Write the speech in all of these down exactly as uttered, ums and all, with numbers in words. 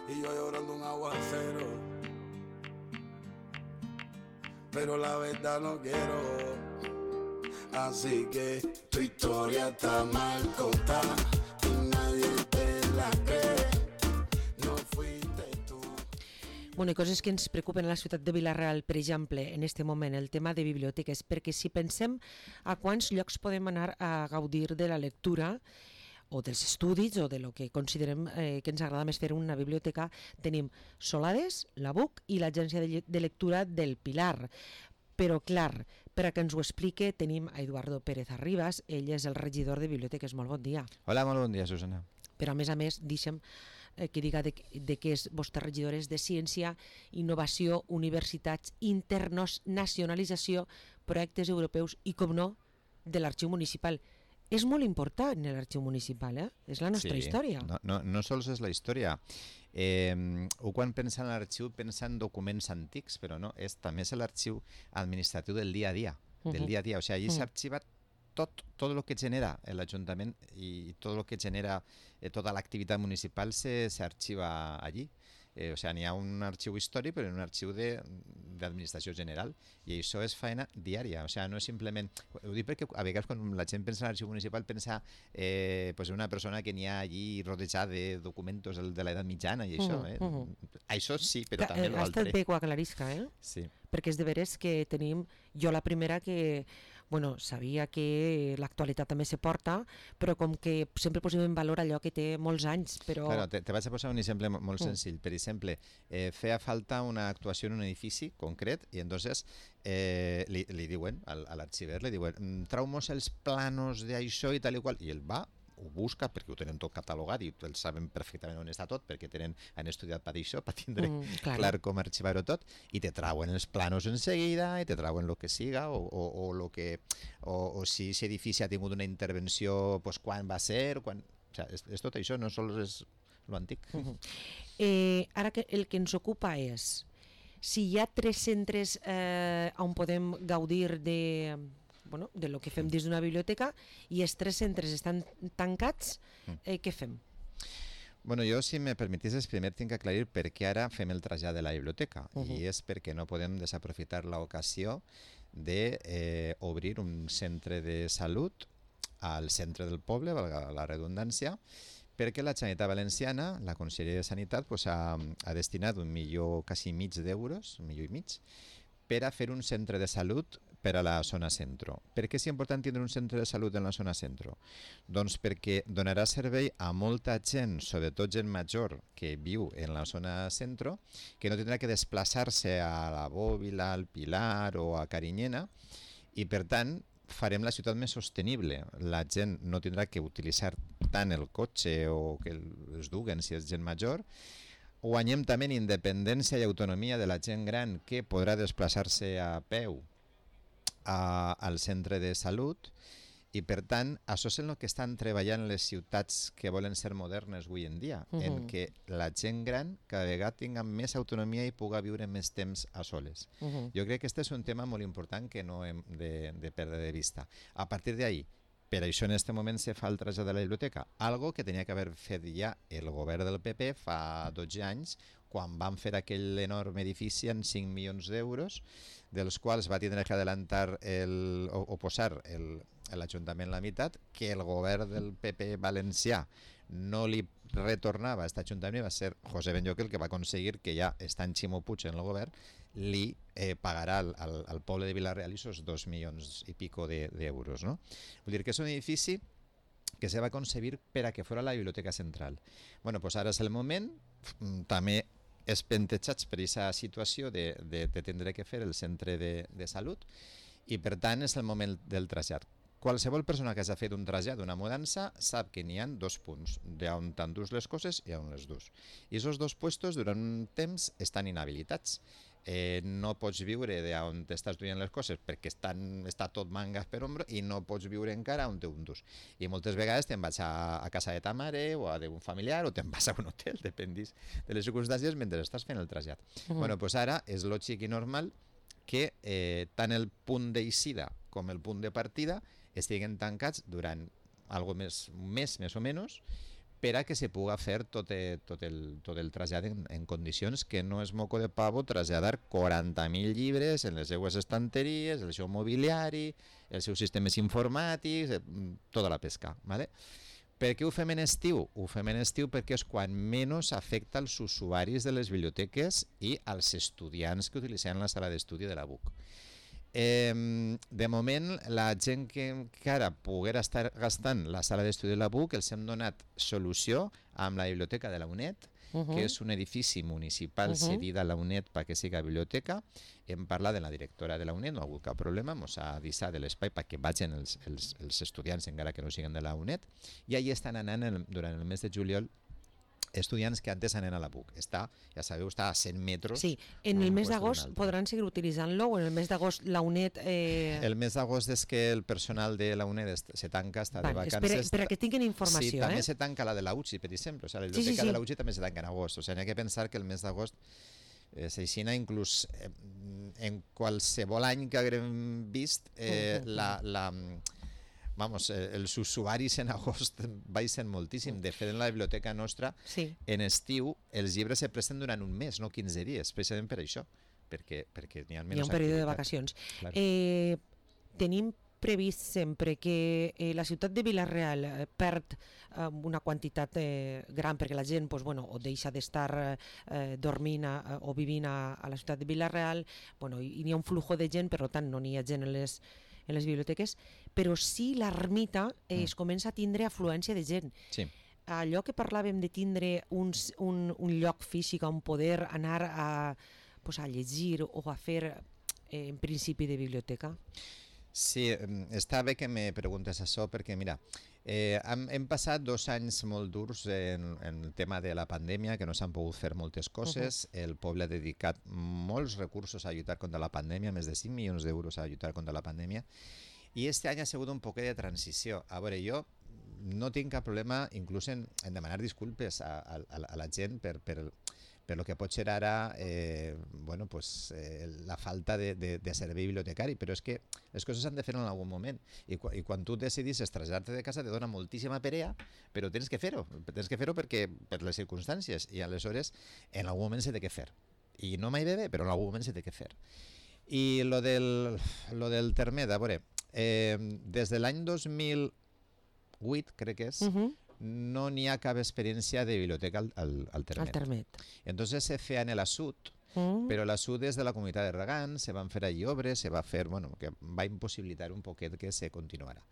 y yo llorando un aguacero. Pero la verdad no quiero, así que tu historia está mal contada y nadie te la cree, no fuiste tú. Bueno, i coses que ens preocupen a la ciutat de Vila-real, per exemple, en aquest moment, el tema de biblioteques, perquè si pensem a quants llocs podem anar a gaudir de la lectura o dels estudis o de lo que considerem eh, que ens agrada més fer una biblioteca, tenim Solades, la B U C i l'Agència de, de Lectura del Pilar. Però, clar, per a que ens ho explique, tenim a Eduardo Pérez Arribas, ell és el regidor de biblioteques. Molt bon dia. Hola, molt bon dia, Susana. Però, a més a més, deixa'm eh, que diga de, de que és vostre regidor és de Ciència, Innovació, Universitats, Internacionalització, Projectes Europeus i, com no, de l'Arxiu Municipal. És molt important l'Arxiu Municipal, eh? És la nostra sí, història. No, no, no sols és la història. Eh, o quan pensa en l'arxiu pensa en documents antics, però no, és, també és l'arxiu administratiu del dia a dia, del Uh-huh. dia a dia. O sigui, allí Uh-huh. s'arxiva tot, tot el que genera l'Ajuntament i tot el que genera eh, tota l'activitat municipal se, s'arxiva allí. Eh, o sigui, n'hi ha un arxiu històric, però un arxiu de, d'administració general, i això és feina diària. O sigui, no és simplement... Ho dic perquè a vegades quan la gent pensa en l'arxiu municipal pensa eh, pues una persona que n'hi ha allí rodejada de documents de l'edat mitjana i això. Eh? Uh -huh. Això sí, però Que, també eh, ha l'altre. estat bé que ho aclarisca, eh? Sí. Perquè és de veres que tenim, jo la primera que, bueno, sabia que l'actualitat també se porta, però com que sempre posem en valor allò que té molts anys, però... Claro, te, te vaig a posar un exemple molt Mm. senzill. Per exemple, eh, feia falta una actuació en un edifici concret i entonces eh, li, li diuen al, a l'arxiver, li diuen trau-mos els planos d'això i tal i qual, i ell va, ho busca perquè ho tenen tot catalogat i ells saben perfectament on està tot perquè tenen, han estudiat per això, per tindre Mm, clar. clar com arxivar-ho tot, i te trauen els planos en seguida i te trauen el que siga o, o, o, lo que, o, o si aquest edifici ha tingut una intervenció, pues, quan va ser, quan... O sigui, és, és tot això, no sols és lo antic. Uh-huh. eh, ara que el que ens ocupa és si hi ha tres centres eh, on podem gaudir de, bueno, de lo que fem dins d'una biblioteca i els tres centres estan tancats, eh, què fem? Bueno, jo, si me permetisses, primer tinc que aclarir per què ara fem el trasllat de la biblioteca. Uh-huh. I és perquè no podem desaprofitar l'ocasió de eh, obrir un centre de salut al centre del poble, valga la redundància, perquè la Generalitat Valenciana, la Conselleria de Sanitat, pues, ha, ha destinat un milió quasi mig d'euros, un milió i mig, per a fer un centre de salut per a la zona centro. Per què és important tindre un centre de salut en la zona centro? Doncs perquè donarà servei a molta gent, sobretot gent major, que viu en la zona centro, que no tindrà que desplaçar-se a la Bòbila, al Pilar o a Carinyena, i per tant farem la ciutat més sostenible. La gent no tindrà que utilitzar tant el cotxe o que els duguen si és gent major. Guanyem també en independència i autonomia de la gent gran que podrà desplaçar-se a peu a, al centre de salut, i per tant això és el que estan treballant les ciutats que volen ser modernes avui en dia, uh-huh. en què la gent gran cada vegada tinga més autonomia i puga viure més temps a soles. Uh-huh. Jo crec que aquest és un tema molt important que no hem de, de perdre de vista. A partir d'ahí, per això en aquest moment se fa el trasllat de la biblioteca, algo que tenia que haver fet ja el govern del P P fa dotze anys, quan van fer aquell enorme edifici en cinc milions d'euros, dels quals va tindre que adelantar el, o, o posar el, l'Ajuntament la meitat, que el govern del P P valencià no li retornava a aquest Ajuntament, va ser José Benlloc el que va aconseguir que ja estant Ximo Puig en el govern li eh, pagarà al, al, al poble de Vila-real esos dos milions i pico de, d'euros, no? Vull dir que és un edifici que se va concebir per a que fora la biblioteca central. Bueno, pues ara és el moment, també espentejats per aquesta situació de, de, de tindre que fer el centre de, de salut, i per tant és el moment del trasllat. Qualsevol persona que hagi fet un trasllat, una mudança, sap que n'hi ha dos punts, d'on t'endús les coses i on les dus. I aquests dos puestos durant un temps estan inhabilitats. Eh, no pots viure d'on t'estàs duient les coses perquè estan, està tot mangas per ombro, i no pots viure encara on té un dus. I moltes vegades te'n vas a, a casa de ta mare o a d'un familiar o te'n vas a un hotel, dependís de les circumstàncies mentre estàs fent el trasllat. Uh-huh. Bueno, pues ara és lògic i normal que eh, tant el punt d'eixida com el punt de partida estiguen tancats durant algo més, un mes més o menys, per a que se puga fer tot, eh, tot, el, tot el trasllat en, en condicions que no és moco de pavo traslladar quaranta mil llibres en les seues estanteries, el seu mobiliari, els seus sistemes informàtics, eh, tota la pesca. ¿Vale? Per què ho fem en estiu? Ho fem en estiu perquè és quan menys afecta als usuaris de les biblioteques i als estudiants que utilitzen la sala d'estudi de la B U C. Eh, de moment, la gent que encara poguera estar gastant la sala d'estudi de la B U C els hem donat solució amb la biblioteca de la UNED, uh -huh. que és un edifici municipal uh -huh. cedit a la UNED perquè siga biblioteca. Hem parlat de la directora de la UNED, no ha hagut cap problema, ens ha avisat de l'espai perquè vagin els, els, els estudiants encara que no siguin de la UNED, i allà estan anant el, durant el mes de juliol estudiants que antes anen a la B U C. Està, ja sabeu, està a cent metres. Sí, en el mes d'agost podran seguir utilitzant-lo o en el mes d'agost la UNED... Eh... El mes d'agost és que el personal de la UNED se tanca, està vale, de vacances. Per a que tinguin informació, sí, eh? també se tanca la de la U C I, per exemple. O sigui, la biblioteca sí, sí, sí. de la U C I també se tanca en agost. O sigui, n'hi ha que pensar que el mes d'agost eh, s'aixina inclús eh, en qualsevol any que haguem vist eh, uh -huh. la... la Vamos, eh, els usuaris en agost baixen moltíssim. De fet, en la biblioteca nostra, sí. en estiu, els llibres se presten durant un mes, no quinze dies, precisament per això, perquè, perquè n'hi ha menys activitat. Hi ha un període de vacacions. Claro. Eh, tenim previst sempre que eh, la ciutat de Vila-real eh, perd eh, una quantitat eh, gran perquè la gent pues, bueno, o deixa d'estar eh, dormint a, o vivint a, a la ciutat de Vila-real, bueno, i, i hi ha un flujo de gent, per tant no n'hi ha gent en les en les biblioteques, però sí l'ermita eh, mm. es comença a tindre afluència de gent. Sí. Allò que parlàvem de tindre un, un, un lloc físic on poder anar a, pues, a llegir o a fer eh, en principi de biblioteca. Sí, està bé que me preguntes això perquè, mira, eh, hem, hem passat dos anys molt durs en, en el tema de la pandèmia, que no s'han pogut fer moltes coses. Uh -huh. El poble ha dedicat molts recursos a lluitar contra la pandèmia, més de cinc milions d'euros a lluitar contra la pandèmia, i este any ha sigut un poquet de transició. A veure, jo no tinc cap problema inclús en, en demanar disculpes a, a, a la gent per... per per lo que pot ser ara eh, bueno, pues, eh, la falta de, de, de servei bibliotecari, però és que les coses s'han de fer en algun moment, i, i quan tu decidis traslladar-te de casa te dona moltíssima perea, però tens que fer-ho, tens que fer-ho perquè, per les circumstàncies, i aleshores en algun moment s'ha de fer, i no mai bé, però en algun moment s'ha de fer. I lo del, lo del Termet, a veure, eh, des de l'any dos mil vuit, crec que és, uh-huh. no n'hi ha cap experiència de biblioteca al, al, al Termet. Al Termet. Entonces se feia en la Sud, mm. però la Sud és de la comunitat de regants, se van fer allí obres, se va fer, bueno, que va impossibilitar un poquet que se continuara.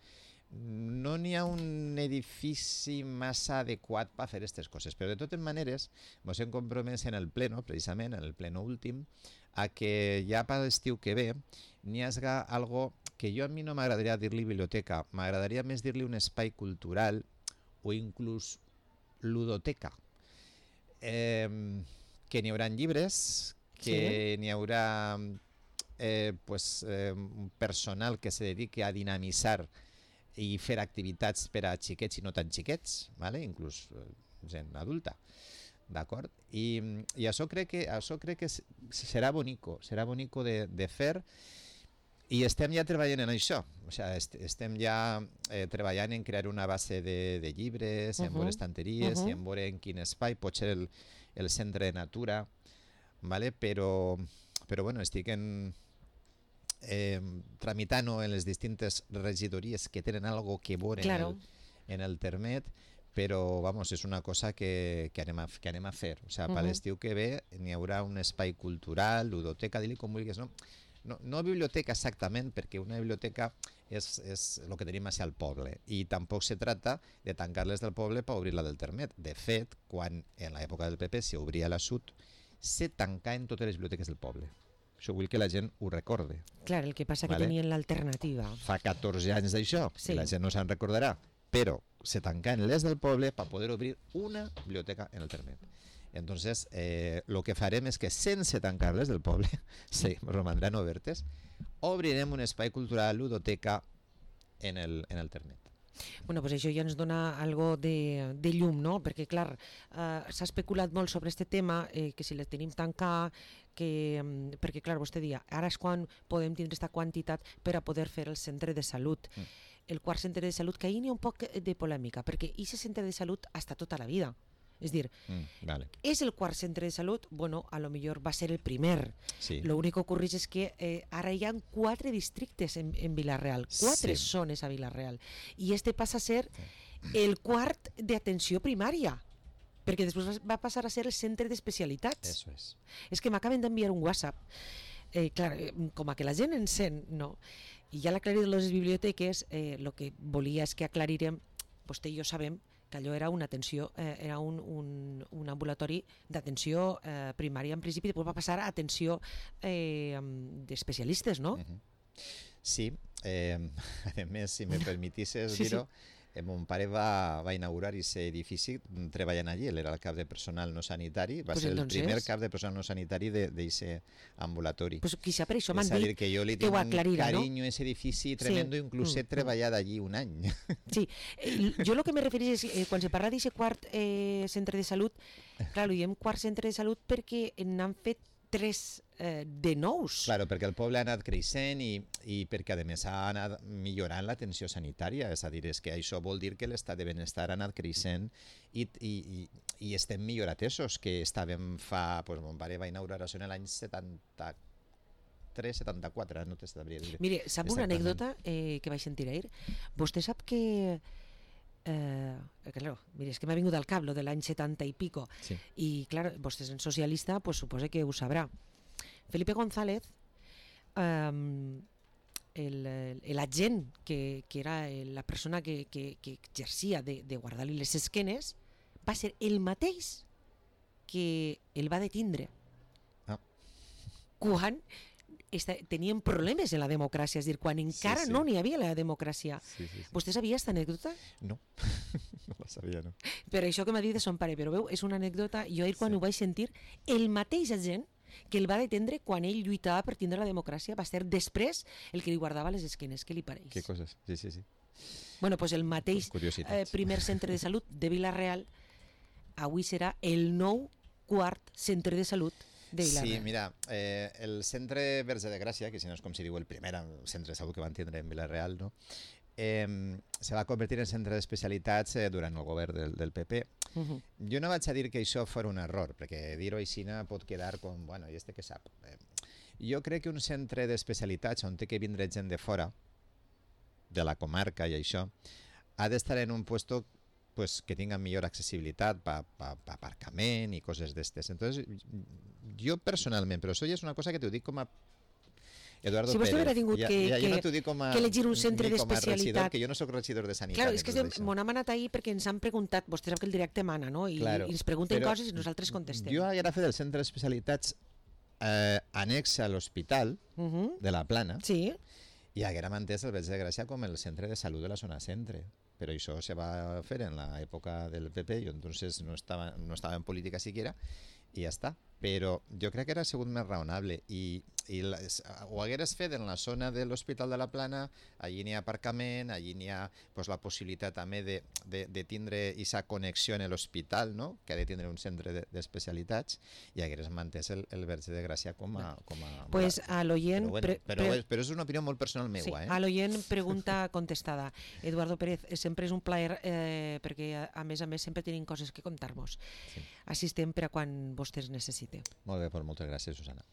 No n'hi ha un edifici massa adequat per fer aquestes coses, però de totes maneres ens hem compromès en el pleno, precisament en el pleno últim, a que ja per l'estiu que ve n'hi hagi algo que jo a mi no m'agradaria dir-li biblioteca, m'agradaria més dir-li un espai cultural o inclús ludoteca, eh, que n'hi haurà llibres, que sí. n'hi haurà eh, pues, eh, un personal que se dediqui a dinamitzar i fer activitats per a xiquets i no tan xiquets, ¿vale? Inclús eh, gent adulta, d'acord? I, i això crec que, això crec que serà bonico, serà bonico de, de fer. I estem ja treballant en això, o sigui, est estem ja eh, treballant en crear una base de, de llibres, uh -huh. en veure estanteries, uh -huh. i en veure en quin espai pot ser el, el centre de natura, ¿vale? però, però bueno, estic en, eh, tramitant en les distintes regidories que tenen algo que veure claro. en, el, en el Termet, però vamos, és una cosa que, que, anem, a, que anem a fer. O sigui, uh -huh. per l'estiu que ve n'hi haurà un espai cultural, ludoteca, di-li com vulguis, no? No, no biblioteca exactament, perquè una biblioteca és, és el que tenim al poble, i tampoc se trata de tancar-les del poble per obrir la del Termet. De fet, quan en l'època del P P s'obria la Sud, se tancaven totes les biblioteques del poble. Això vull que la gent ho recorde. Clar, el que passa vale? que tenien l'alternativa. Fa catorze anys d'això, sí. la gent no se'n recordarà, però se tancaven les del poble per poder obrir una biblioteca en el Termet. Entonces, eh, lo que farem és que sense tancar-les del poble, sí, romandran obertes, obrirem un espai cultural, ludoteca, en el, en el Termet. Bueno, pues això ja ens dona algo de, de llum, no? Perquè, clar, eh, s'ha especulat molt sobre aquest tema, eh, que si les tenim tancar, que, perquè, clar, vostè dia, ara és quan podem tindre aquesta quantitat per a poder fer el centre de salut. Mm. el quart centre de salut, que ahir n'hi ha un poc de polèmica, perquè aquest centre de salut ha estat tota la vida. És dir, mm, vale. és el quart centre de salut, bueno, a lo millor va ser el primer. Sí. Lo únic que ocorreix és que eh, ara hi ha quatre districtes en, en Vila-real, quatre Sí. zones a Vila-real, i este passa a ser el quart d'atenció primària, perquè després va passar a ser el centre d'especialitats. Eso es. És que m'acaben d'enviar un WhatsApp, eh, clar, eh, com a que la gent encén, no? I ja l'aclarir de les biblioteques, el eh, que volia és que aclarirem, vostè i jo sabem que allò era una atenció, eh, era un, un, un ambulatori d'atenció eh, primària en principi, després va passar a atenció eh, d'especialistes, no? Uh-huh. Sí, eh, a més, si me permetisses Sí, dir-ho, eh, mon pare va, va inaugurar aquest edifici treballant allí, ell era el cap de personal no sanitari, va Pues ser el entonces- primer cap de personal no sanitari d'aquest ambulatori. Pues quizá per això m'han És a dir, dit que jo li que tinc ho un aclarirà, no? carinyo a aquest edifici tremendo, inclús he Mm, mm. treballat allí un any. Sí, eh, jo el que me referís és, eh, quan se parla d'aquest quart eh, centre de salut, clar, ho diem quart centre de salut perquè n'han fet tres eh, de nous. Claro, perquè el poble ha anat creixent i, i perquè a més ha anat millorant l'atenció sanitària, és a dir, és que això vol dir que l'estat de benestar ha anat creixent i, i, i, i estem millor atesos que estàvem fa, doncs mon pare va inaugurar això en l'any setanta-tres setanta-quatre, no te sabria dir. Mire, sap una Exactament. anècdota eh, que vaig sentir ahir? Vostè sap que... Eh, claro, mire, és que m'ha vingut al cap lo de l'any setanta i pico, Sí. i clar, vostè és socialista, pues suposa que ho sabrà. Felipe González, eh, el, el agent que, que era la persona que, que, que exercia de, de guardar-li les esquenes, va ser el mateix que el va detindre Ah. quan esta, tenien problemes en la democràcia, és a dir, quan encara sí. no n'hi havia la democràcia. Sí, sí, sí. Vostè sabia aquesta anècdota? No, no la sabia, no. Per això que m'ha dit de son pare, però veu, és una anècdota, jo ahir quan Sí. ho vaig sentir, el mateix agent que el va detendre quan ell lluitava per tindre la democràcia va ser després el que li guardava les esquenes, què li pareix? Què coses? Sí, sí, sí. Bueno, pues el mateix eh, Curiositats. primer centre de salut de Vila-real avui serà el nou quart centre de salut de Vila-real. Sí, mira, eh, el centre Verge de Gràcia, que si no és com si diu el primer centre de salut que van tindre en Vila-real, no? eh, se va convertir en centre d'especialitats eh, durant el govern del, del P P. Uh -huh. Jo no vaig a dir que això fos un error, perquè dir-ho així pot quedar com, bueno, i este que sap. Eh, jo crec que un centre d'especialitats on té que vindre gent de fora, de la comarca i això, ha d'estar en un puesto pues, que tinga millor accessibilitat per pa, pa aparcament i coses d'estes. Entonces, jo personalment, però això ja és una cosa que t'ho dic com a Eduardo Si vostè Pérez. hubiera tingut ja, que- ja, jo que- no t'ho dic com a, que elegir un centre ni com a regidor, d'especialitat. que jo no sóc regidor de sanitat. Claro, ni és que res d'això. m'ho hem anat ahir perquè ens han preguntat, vostè sap que el directe mana, no? I, Claro, i ens pregunten però coses i nosaltres contestem. Jo haguera fet el centre d'especialitats eh, annex a l'hospital Uh -huh. de la Plana Sí, i haguera mantès el Verge de Gràcia com el centre de salut de la zona centre. Però això se va fer en l'època del P P, jo entonces no estava, no estava en política siquiera, i ja està. Però jo crec que era sigut més raonable i, i les, ho hagueres fet en la zona de l'Hospital de la Plana, allí n'hi ha aparcament, allí n'hi ha pues, la possibilitat també de, de, de tindre aquesta connexió en l'hospital, no? Que ha de tindre un centre d'especialitats, i hagueres mantès el, el Verge de Gràcia com a... Com a pues a l'oient... però, bueno, pre- però, pre- és, però és una opinió molt personal Sí, meua, eh? a l'oient pregunta contestada. Eduardo Pérez, eh, sempre és un plaer eh, perquè a, a més a més sempre tenim coses que contar-vos. Sí. Així estem per a quan vostè es necessite. Molt bé, doncs moltes gràcies, Susana.